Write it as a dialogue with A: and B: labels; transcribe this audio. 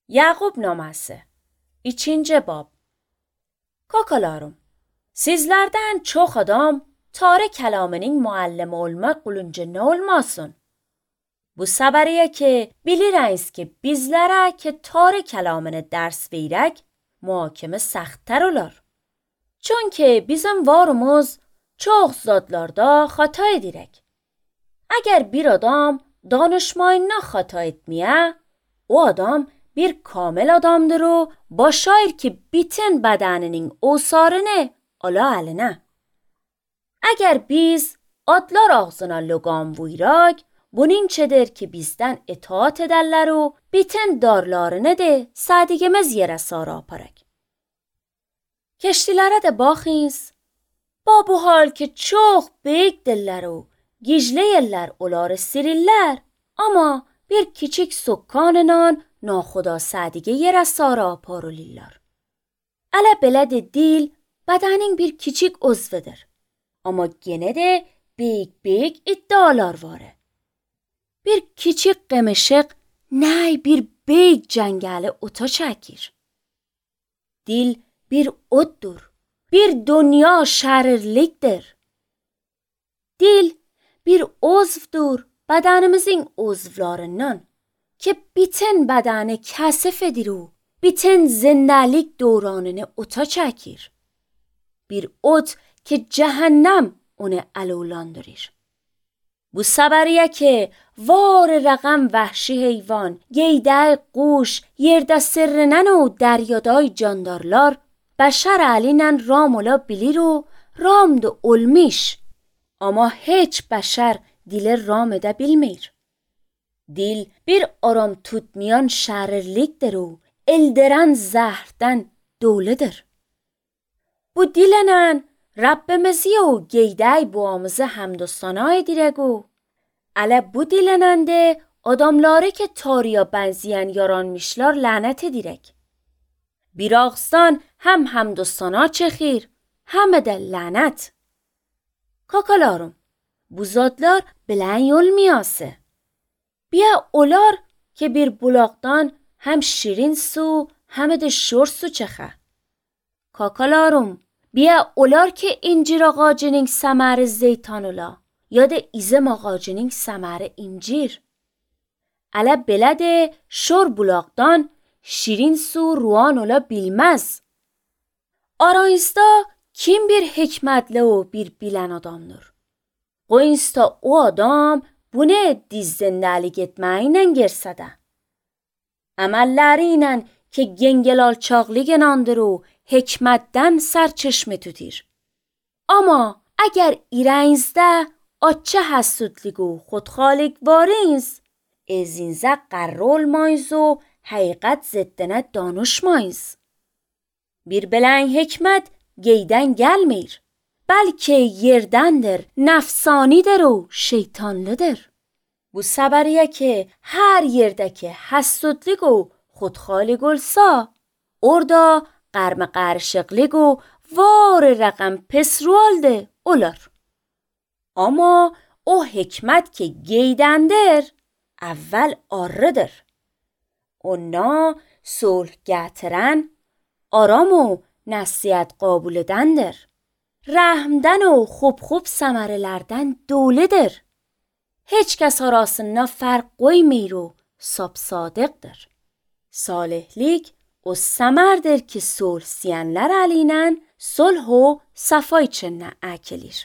A: Yaqub naması 2. bab. Kakalarım, sizlerden çox adam tarı kəlamının müəllim olmaq qulunca olmasın. Bu səbəriyə ki, bilirəniz ki, bizlərə ki tarı kəlamını dərs verək, muhakimə səxtər olar. Çünki bizim varımız çox zadlarda xata edirək. Əgər bir adam danışmayına xata etməyə, o adam bir kamil adamdır و başayır ki bütün bədeninin osarını ala əlinə. Əgər biz adlar ağzına loğam vuyrak, bunun çedir ki bizdən itaat edərlər و bütün darlarını de sədigimiz yerə sarı aparak. Keştilərə də baxınız. Ba bu hal ki çox böyük dillər و gicli yerlər onları sirirlər, ama bir kiçik sokkanınan naxuda sədige yerə sarı aparılırlar. Ələ belə də dil bədenin bir kiçik uzvudur. Ama gene de büyük iddialar var. Bir kiçik qemişik ney bir büyük cəngəli ota çəkir. Dil bir oddur. Bir dünya şərirlikdir. Dil bir uzvdur bədenimizin uzvlarından ki bütün bədəni kəsif edir و bütün zindəlik dövranını ota çəkir. Bir ot ki cəhənnəm onu alevlandırır. Bu səbəriyə ki var rəqəm vəhşi heyvan, geydə quş, yerdə sirrinən و dəryadای candarlar bəşər əliylə ram ola bilir و ram da olmuş. Ama heç bəşər dili ram edə bilmir. Dil bir aram tutmayan şərirlikdir و eldiren zəhərdən doludur. Bu dillə Rabbimizi و geydə boğamızı həmd و sana edirək و ələ bu dillə də adamları ki tarıya bənzəyən yaranmışlar lənət edirək. Bir ağızdan həm həmd و sana çəkir, həm də lənət. Kakalarım, bu zadlar bilən olmayası. Bia olar ki bir bulaqdan hem şirin su hem de şور su çəxə. Kakalarım, bia olar ki incir ağacının səməri zeytan ola ya da izim ağacının səməri incir. Ələ belə də şor bulaqdan şirin su ruan ola bilməz. Aranızda kim bir hikmətli و bir bilən adamdır? Qoyunuzda o adam bunu dizdindəlik etməklə gersə də. Əməlləri ilə ki gengel alçaqlıq inandır و hikmətdən sərçeşmə tutur. Ama əgər irənizdə açça həssudluq و xudxalıq varınız, ezinizə qərr olmayız و həqiqət ziddinə danışmayız. Bir bilən hikmət geydən gəlmir. Bəlkə yerdəndir, nəfsanidir و şeytanlıdır. Bu səbəriyə ki hər yerdə ki həssudluq و xudxalıq olsa, orada qərmə qarışıqlıq و var rəqəm pis rualdə olar. Ama o hikmət ki geydəndir, əvvəl arıdır. Ona sulh gətirən, aram و nəsiyyət qabul edəndir. Rəhmdən و خوب səmərələrdən doludur. Heç kəs arasında fərq qoymir و sap-sadiqdir. Salihlik o səmərdir ki sulh siyənlər əlinən sulh و səfa içində əkilir.